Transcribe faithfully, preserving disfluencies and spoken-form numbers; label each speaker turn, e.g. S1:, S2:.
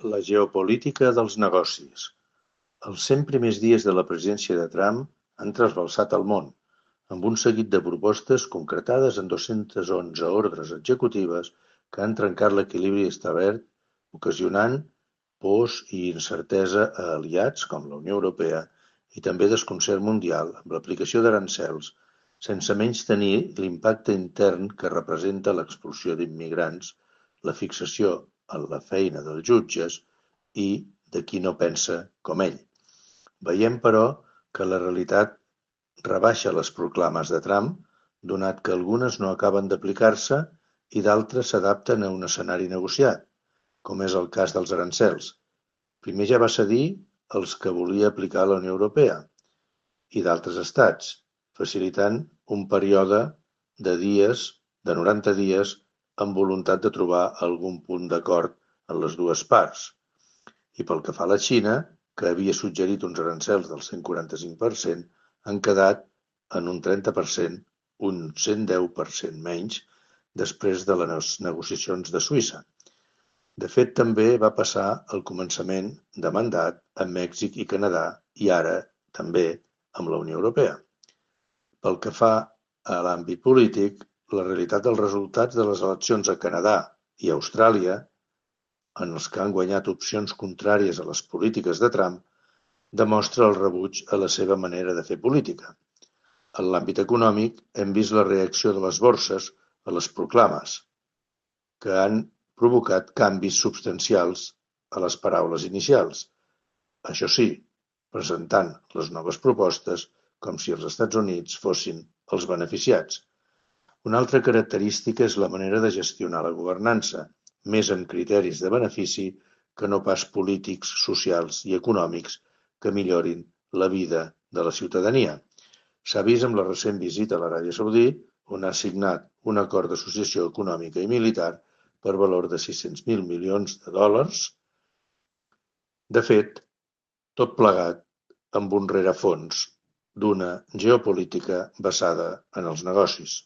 S1: La geopolítica dels negocis. Els cent primers dies de la presidència de Trump han trasbalsat el món, amb un seguit de propostes concretades en dos-centes onze ordres executives que han trencat l'equilibri establert, ocasionant pors i incertesa a aliats com la Unió Europea i també desconcert mundial amb l'aplicació d'aranzels, sense menystenir l'impacte intern que representa l'expulsió d'immigrants, la fixació en la feina dels jutges i de qui no pensa com ell. Veiem, però, que la realitat rebaixa les proclames de Trump, donat que algunes no acaben d'aplicar-se i d'altres s'adapten a un escenari negociat, com és el cas dels arancels. Primer ja va cedir els que volia aplicar la Unió Europea i d'altres estats, facilitant un període de dies, de noranta dies, amb voluntat de trobar algun punt d'acord en les dues parts. I pel que fa a la Xina, que havia suggerit uns arancels del cent quaranta-cinc per cent, han quedat en un trenta per cent, un cent deu per cent menys, després de les negociacions de Suïssa. De fet, també va passar el començament de mandat amb Mèxic i Canadà i ara també amb la Unió Europea. Pel que fa a l'àmbit polític, la realitat dels resultats de les eleccions a Canadà i Austràlia, en els que han guanyat opcions contràries a les polítiques de Trump, demostra el rebuig a la seva manera de fer política. En l'àmbit econòmic, hem vist la reacció de les borses a les proclames, que han provocat canvis substancials a les paraules inicials. Això sí, presentant les noves propostes com si els Estats Units fossin els beneficiats. Una altra característica és la manera de gestionar la governança, més amb criteris de benefici que no pas polítics, socials i econòmics que millorin la vida de la ciutadania. S'ha vist amb la recent visita a l'Aràbia Saudí, on ha signat un acord d'associació econòmica i militar per valor de sis-cents mil milions de dòlars. De fet, tot plegat amb un rerefons d'una geopolítica basada en els negocis.